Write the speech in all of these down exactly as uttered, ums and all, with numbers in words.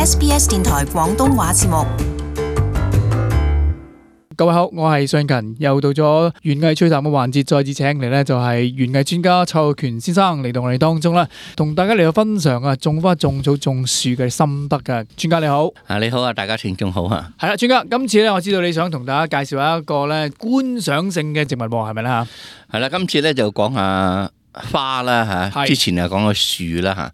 S B S 電台廣東話節目。各位好，我係尚勤，又到咗園藝趣談嘅環節，再次請嚟呢就係園藝專家蔡浩權先生嚟到我哋當中啦，同大家嚟到分享啊種花、種草、種樹嘅心得噶。專家你好，啊你好啊，大家聽眾好啊。係啦，專家，今次咧我知道你想同大家介紹一個咧觀賞性嘅植物喎，係咪咧吓？係啦，今次咧就講下花啦吓，之前啊講過樹啦吓，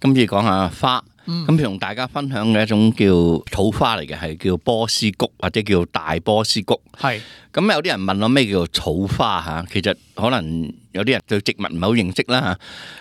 今次講下花。咁同、嗯、大家分享嘅一種叫草花嚟嘅，係叫波斯菊或者叫大波斯菊。係咁是有啲人問我咩叫草花吓，其實可能有啲人對植物唔係好認識啦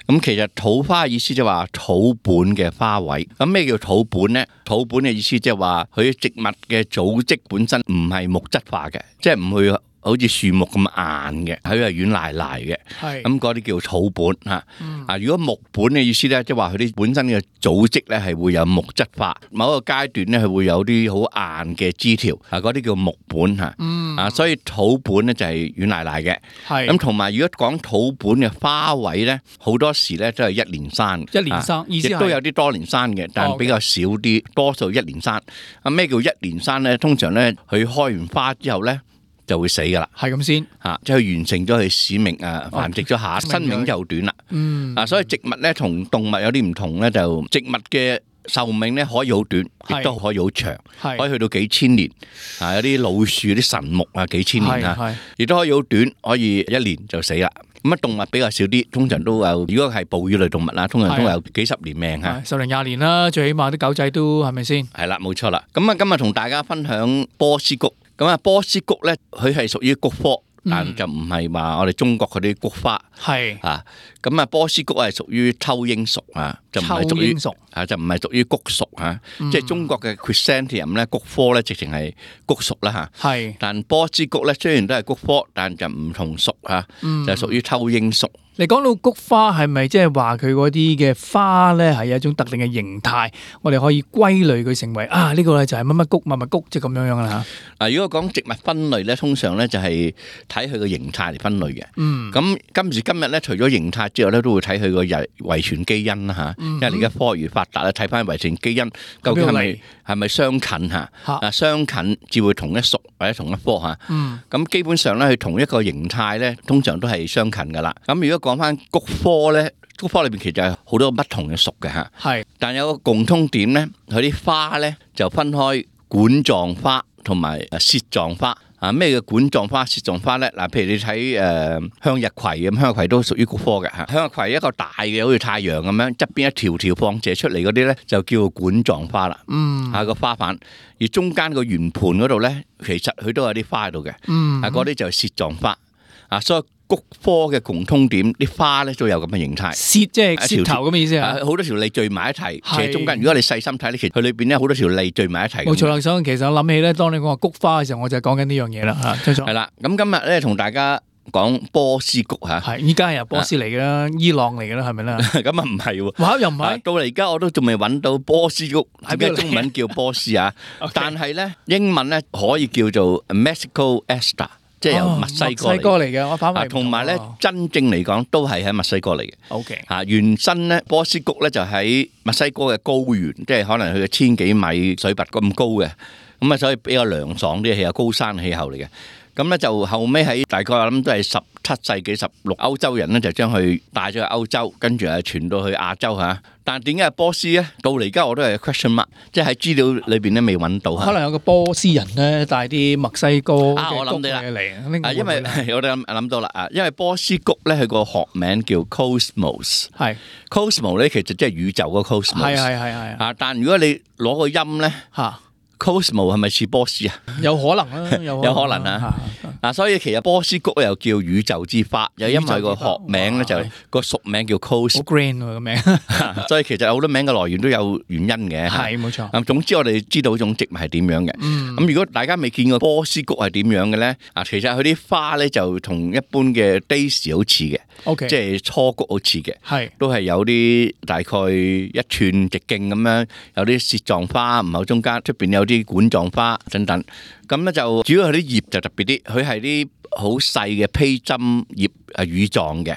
吓。咁其實草花嘅意思就係話草本嘅花卉。咁咩叫草本呢？草本嘅意思即係話佢植物嘅組織本身唔係木質化嘅，即係唔會好似樹木咁硬嘅，佢係軟賴賴嘅。係咁嗰啲叫草本吓。啊、嗯，如果木本嘅意思咧，即係話佢啲本身嘅組織咧係會有木質化，某一個階段咧係會有啲好硬嘅枝條，啊嗰啲叫木本吓。嗯。啊，所以草本咧就係軟賴賴嘅。係。咁同埋如果講草本嘅花卉咧，好多時咧都係一年生。一年生，意思係亦都有啲多年生嘅，但係比較少啲，多數一年生。啊，咩叫一年生咧？通常咧佢開完花之後咧，就會死噶啦，係咁先吓，即係完成咗佢使命啊，繁殖咗下，生命就短啦。嗯，啊，所以植物咧同動物有啲唔同咧，就植物嘅壽命咧可以好短，亦都可以好長，可以去到幾千年。啊，有啲老樹、啲神木啊，幾千年啊，亦都可以好短，可以一年就死啦。咁啊，動物比較少啲，通常都有。如果係哺乳類動物啦，通常都有幾十年命吓，十零廿年啦，最起碼啲狗仔都係咪先？係啦，冇錯啦。咁啊，今日同大家分享波斯菊。咁啊，波斯菊咧，佢係屬於菊科，但就唔係話我哋中國嗰啲菊花。係啊，咁啊，波斯菊係屬於秋罂屬啊，就唔係屬於啊，就唔係屬於菊屬啊。即係中國嘅 Chrysanthemum 咧，菊科咧，直情係菊屬啦吓。係，但波斯菊咧，雖然都係菊科，但就唔同屬啊，就屬於秋罂屬。你講到菊花係咪即係話佢嗰啲嘅花咧係有一種特定嘅形態，我哋可以歸類佢成為啊呢個咧就係乜乜菊乜乜菊，即係咁樣樣啦吓。嗱，如果講植物分類咧，通常咧就係睇佢個形態嚟分類嘅。嗯。咁今時今日咧，除咗形態之外咧，都會睇佢個遺遺傳基因啦吓。嗯。因為而家科學發達咧，睇翻遺傳基因究竟係咪係咪相近吓？啊，相近至會同一屬或者同一科吓。嗯。咁基本上咧，佢同一個形態咧，通常都係相近噶啦。咁如果講翻菊科咧，菊科裏邊其實係好多不同嘅屬嘅吓，係，但有個共通點咧，佢啲花咧就分開管狀花同埋舌狀花。啊，咩叫管狀花、舌狀花咧？嗱，譬如你睇誒向日葵咁，向日葵都屬於菊科嘅吓。向日葵一個大嘅，好似太陽咁樣，側邊一條條放射出嚟嗰啲咧，就叫管狀花啦。嗯，啊個花瓣，而中間個圓盤嗰度咧，其實佢都有啲花喺度嘅。嗯，啊嗰啲就係舌狀花。啊，所以菊科嘅共通點，啲花咧都有咁嘅形態。舌即係舌頭咁嘅意思啊！好多條脷聚埋一齊，其實中間如果你細心睇咧，其實佢裏邊咧好多條脷聚埋一齊。冇錯啦，所以其實我諗起咧，當你講話菊花嘅時候，我就係講緊呢樣嘢啦嚇。係啦，咁今日咧同大家講波斯菊嚇。係，依家係由波斯嚟嘅啦，伊朗嚟嘅啦，係咪啦？咁啊唔係喎。哇！又唔係。到嚟而家我都仲未揾到波斯菊，點解中文叫波斯啊？但係咧英文咧可以叫做 Mexico Aster。即係由墨西哥嚟嘅，我反為同埋咧，真正嚟講都係喺墨西哥嚟嘅。O K，嚇原身咧，波斯菊咧就喺墨西哥嘅高原，即係可能佢嘅千幾米水拔咁高嘅，咁啊所以比較涼爽啲氣候，高山氣候嚟嘅。咁咧就後尾喺大概我諗都係十七世紀十六，歐洲人咧就將佢帶咗去歐洲，跟住係傳到去亞洲嚇。但係點解係波斯咧？到嚟而家我都係 question mark，即係喺資料裏邊咧未揾到。可能有個波斯人咧帶啲墨西哥嘅菊嚟。啊，因為我哋諗諗到啦啊，因為波斯菊咧佢個學名叫 Cosmos，係 Cosmos 咧其實即係宇宙個 Cosmos，係係係係啊。但如果你攞個音咧嚇。Cosmo 係咪似波斯啊？有可能啦，有可能啊。嗱，所以其實波斯菊又叫宇宙之花，又因為個學名咧就個屬名叫 Cos。好 grand 個名，所以其實好多名嘅來源都有原因嘅。係冇錯。咁總之我哋知道種植物係點樣嘅。咁如果大家未見過波斯菊係點樣嘅咧，啊，其實佢啲花咧就同一般嘅 Daisy 好似嘅。O.K. 即係雛菊好似嘅，係都係有啲大概一寸直徑咁樣，有啲舌狀花，唔係中間出邊有啲管狀花等等。咁咧就主要係啲葉就特別啲，佢係啲好細嘅披針葉，係乳狀嘅。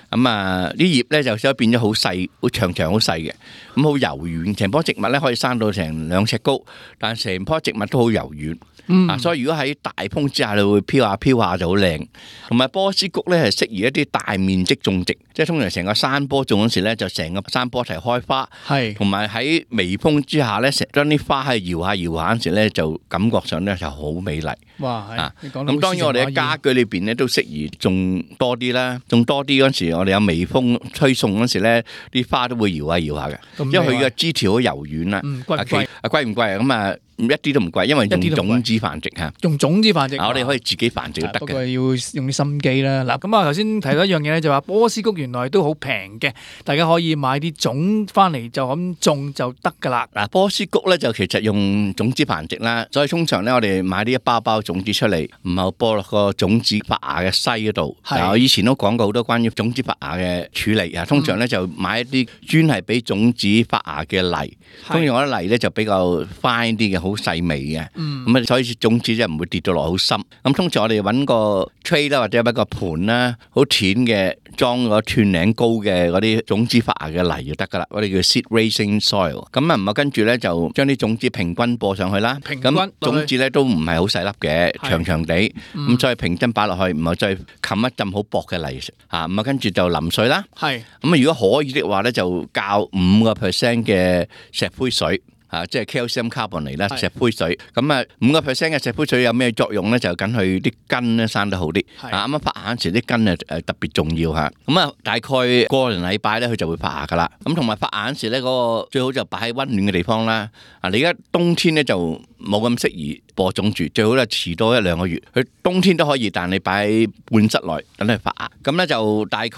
咁咁啊啲葉咧就所以變咗好細，好長長好細嘅，咁好柔軟。成棵植物咧可以生到成兩尺高，但係成棵植物都好柔軟。嗯、啊，所以如果喺大風之下，你會飄下飄下就好靚。同埋波斯菊咧係適宜一啲大面積種植，即係通常成個山坡種嗰時咧，就成個山坡一齊開花。係，同埋喺微風之下咧，成將啲花係搖下搖下嗰時咧，就感覺上咧就好美麗。哇！啊，咁當然我哋喺家居裏邊咧都適宜種多啲啦，種多啲嗰時，我哋有微風吹送嗰時咧，啲花都會搖下搖下嘅，因為佢嘅枝條好柔軟啦。嗯，貴唔貴？啊，貴唔貴啊？咁啊？一啲都唔貴，因為用種子繁殖嚇，用種子繁殖，我哋可以自己繁殖都得嘅。不過要用啲心機啦。嗱，咁啊頭先提到一樣嘢咧，就話波斯菊原來都好平嘅，大家可以買啲種翻嚟就咁種就得㗎啦。嗱，波斯菊咧就其實用種子繁殖啦，所以通常咧我哋買呢一包包種子出嚟，唔係播落個種子發芽嘅篩嗰度。嗱，我以前都講過好多關於種子發芽嘅處理啊。通常咧就買一啲專係俾種子發芽嘅泥，通常我啲泥咧就比較 fine 啲嘅。好細微嘅，咁啊，所以種子就唔會跌到落好深。咁通常我哋揾個 tray 啦，或者揾個盤啦，好淺嘅，裝個斷頂高嘅嗰啲種子發芽嘅泥就得噶啦。我哋叫 seed raising soil。咁啊，唔係跟住咧就將啲種子平均播上去啦。平均咁種子咧都唔係好細粒嘅，長長地，咁再平均擺落去，唔係再冚一浸好薄嘅泥嚇，咁啊跟住就淋水啦。係咁啊，如果可以的話咧，就較五個 percent 嘅石灰水。啊，即係 calcium carbonate 啦，石灰水。咁啊，五個 percent 嘅石灰水有咩作用咧？就緊佢啲根咧生得好啲。啊，啱啱發芽嗰時啲根啊誒特別重要嚇。咁啊，大概個零禮拜咧，佢就會發芽噶啦。咁同埋發芽嗰時咧，嗰個最好就擺喺溫暖嘅地方啦。啊，你而家冬天咧就冇咁適宜播種住，最好咧遲多一兩個月。佢冬天都可以，但你擺喺半室內等佢發芽。咁咧就大概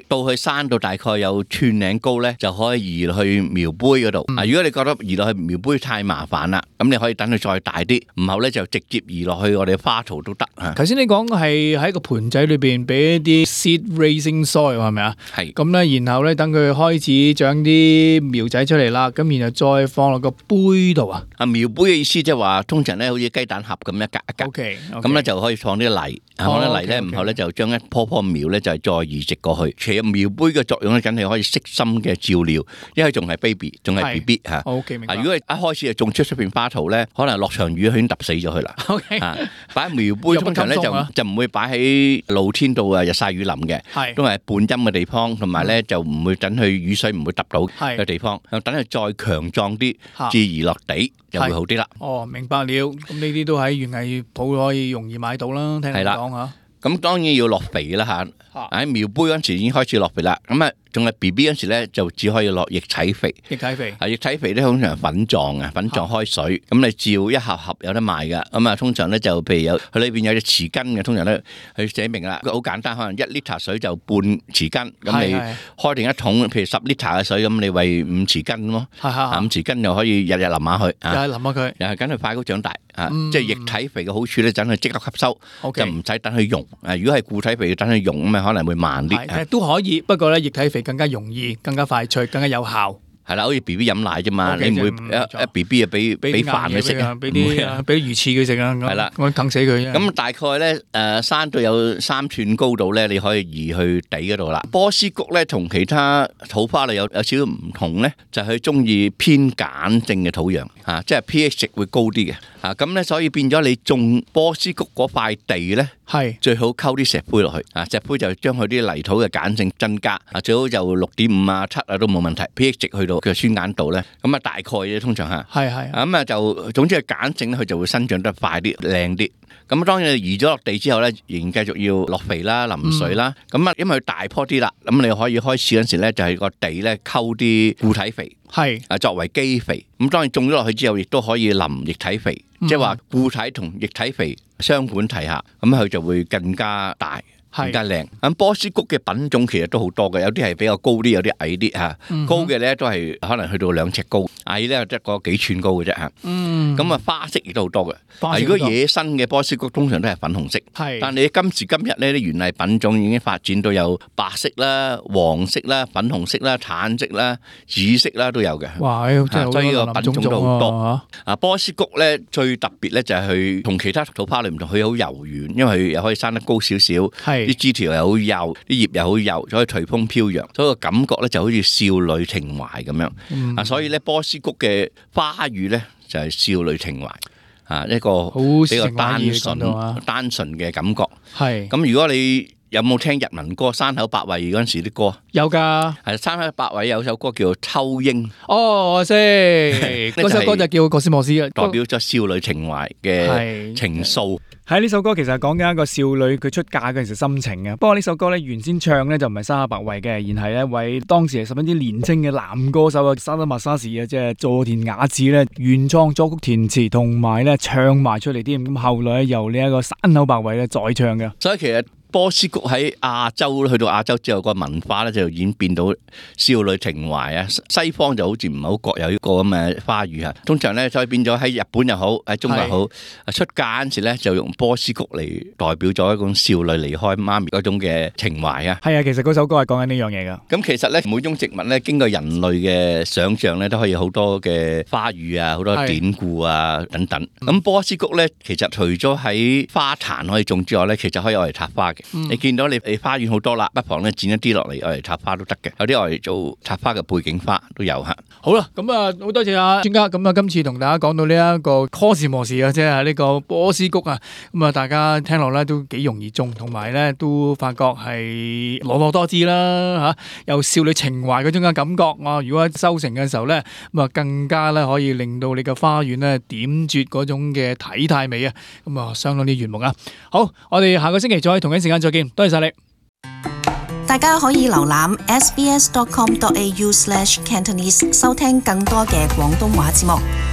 到佢生到大概有寸零高咧，就可以移落去苗杯嗰度。啊，如果你覺得移落去苗杯太麻煩啦，咁你可以等佢再大啲，唔後咧就直接移落去我哋花槽都得嚇。頭先你講係喺個盤仔裏邊俾一啲 seed raising soil 係咪啊？係。咁咧，然後咧等佢開始長啲苗仔出嚟啦，咁然後再放落個杯度啊。啊，苗杯嘅意思即係話，通常咧好似雞蛋盒咁一格一格。OK。咁咧就可以放啲泥，放啲泥咧，唔後咧就將一棵棵苗咧就係再移植過去。其實苗杯嘅作用咧，梗係可以悉心嘅照料，因為仲係 baby， 仲係 B B 嚇。OK，明白。如果一開始就種出出邊花槽咧，可能落場雨佢已經揼死咗佢啦。OK，啊，擺喺苗杯通常咧就就唔會擺喺露天度啊，日曬雨淋嘅，都係半陰嘅地方，同埋咧就唔會等佢雨水唔會揼到嘅地方，等佢再強壯啲，至移落地就會好啲啦。哦，明白了。咁呢啲都喺園藝鋪可以容易買到啦。聽你講嚇。咁當然要落肥啦嚇。喺苗杯嗰陣時已經開始落肥啦。咁啊。仲係 B B 嗰時咧，就只可以落液體肥。液體肥啊，液體肥咧通常係粉狀嘅，粉狀開水。咁你照一盒盒有得賣㗎。咁啊，通常咧就譬如有佢裏邊有隻匙羹嘅，通常咧佢寫明啦，好簡單，可能一 litre 水就半匙羹。咁你開定一桶，譬如十 litre 嘅水，咁你餵五匙羹咯。五匙羹就可以日日淋下佢。日日淋下佢，又係等佢快高長大。啊，即係液體肥嘅好處咧，等佢即刻吸收，就唔使等佢溶。啊，如果係固體肥，要等佢溶咁啊，可能會慢啲。係都可以，不過咧液體肥更加容易、更加快脆、更加有效。係啦，好似 B B 飲奶啫嘛，你唔會一一 B B 啊俾俾飯佢食啊，俾啲俾魚翅佢食啊，係啦，我啃死佢。咁大概咧誒生到有三寸高度咧，你可以移去地嗰度啦。波斯菊咧同其他土花類有有少少唔同咧，就係佢中意偏鹼性嘅土壤嚇，即係 pH 值會高啲嘅嚇。咁咧所以變咗你種波斯菊嗰塊地咧，係最好溝啲石灰落去啊，石灰就將佢啲泥土嘅鹼性增加啊，最好就六點五啊七啊都冇問題 ，pH 值去到嘅酸鹼度咧，咁啊大概嘅通常嚇，係係咁啊就總之係鹼性咧，佢就會生長得快啲、靚啲。咁當然移咗落地之後咧，仍然繼續要落肥啦、淋水啦。咁啊，因為佢大棵啲啦，咁你可以開始嗰時咧，就係個地咧溝啲固體肥，係啊作為基肥。咁當然種咗落去之後，亦都可以淋液體肥，即係話固體同液體肥雙管齊下，咁佢就會更加大。更加靚。咁波斯菊嘅品種其實都好多嘅，有啲係比較高啲，有啲矮啲嚇。高嘅咧都係可能去到兩尺高，矮咧得個幾寸高嘅啫嚇。咁啊花色亦都好多嘅。如果野生嘅波斯菊通常都係粉紅色，但你今時今日呢啲園藝品種已經發展到有白色啦、黃色啦、粉紅色啦、橙色啦、紫色啦都有嘅。哇！真係好多，所以呢個品種都好多。啊，波斯菊咧最特別咧就係佢同其他土花類唔同，佢好柔軟，因為佢又可以生得高少少。啲枝條又好幼，啲葉又好幼，所以隨風飄揚，所以個感覺咧就好似少女情懷咁樣。嗯、啊，所以咧波斯菊嘅花語咧就係少女情懷啊，一個比較單純、單純嘅感覺。係咁，如果你有冇聽日文歌《山口百惠》嗰陣時啲歌？有㗎，係山口百惠有首歌叫做《秋櫻》。哦，我識嗰首歌就叫《葛斯莫斯》，代表咗少女情懷嘅情愫。喺呢首歌其實講緊一個少女佢出嫁嗰陣時心情嘅。不過呢首歌咧原先唱咧就唔係山口百惠嘅，而係一位當時係十分之年輕嘅男歌手啊，沙田馬沙士啊，即係佐田雅治咧原創作曲填詞同埋咧唱埋出嚟添。咁後來由呢一個山口百惠咧再唱嘅。所以其實波斯菊喺亞洲去到亞洲之後，個文化咧就演變到少女情懷啊。西方就好似唔係好覺有呢個咁嘅花語啊。通常咧所以變咗喺日本又好，喺中國又好，出嫁嗰陣時咧就用波斯菊嚟代表咗一種少女離開媽咪嗰種嘅情懷啊。係啊，其實嗰首歌係講緊呢樣嘢噶。咁其實咧每種植物咧經過人類嘅想像咧都可以好多嘅花語啊，好多典故啊等等。咁波斯菊咧其實除咗喺花壇可以種之外咧，其實可以攞嚟插花嘅。嗯、你見到你你花園好多啦，不妨咧剪一啲落嚟，攞嚟插花都得嘅。有啲攞嚟做插花嘅背景花都有吓。好啦，咁啊好多謝啊專家。咁啊今次同大家講到呢一個 cosmos 啊，即係呢個波斯菊啊。咁啊大家聽落咧都幾容易種，同埋咧都發覺係婀娜多姿啦吓，有少女情懷嗰種嘅感覺啊。如果收成嘅時候咧，咁啊更加咧可以令到你嘅花園咧點綴嗰種嘅體態美啊。咁啊相當之悅目啊。好，我哋下個星期再同一時間再見，多謝晒你。大家可以瀏覽 s b s dot com dot a u slash cantonese 收聽更多嘅廣東話節目。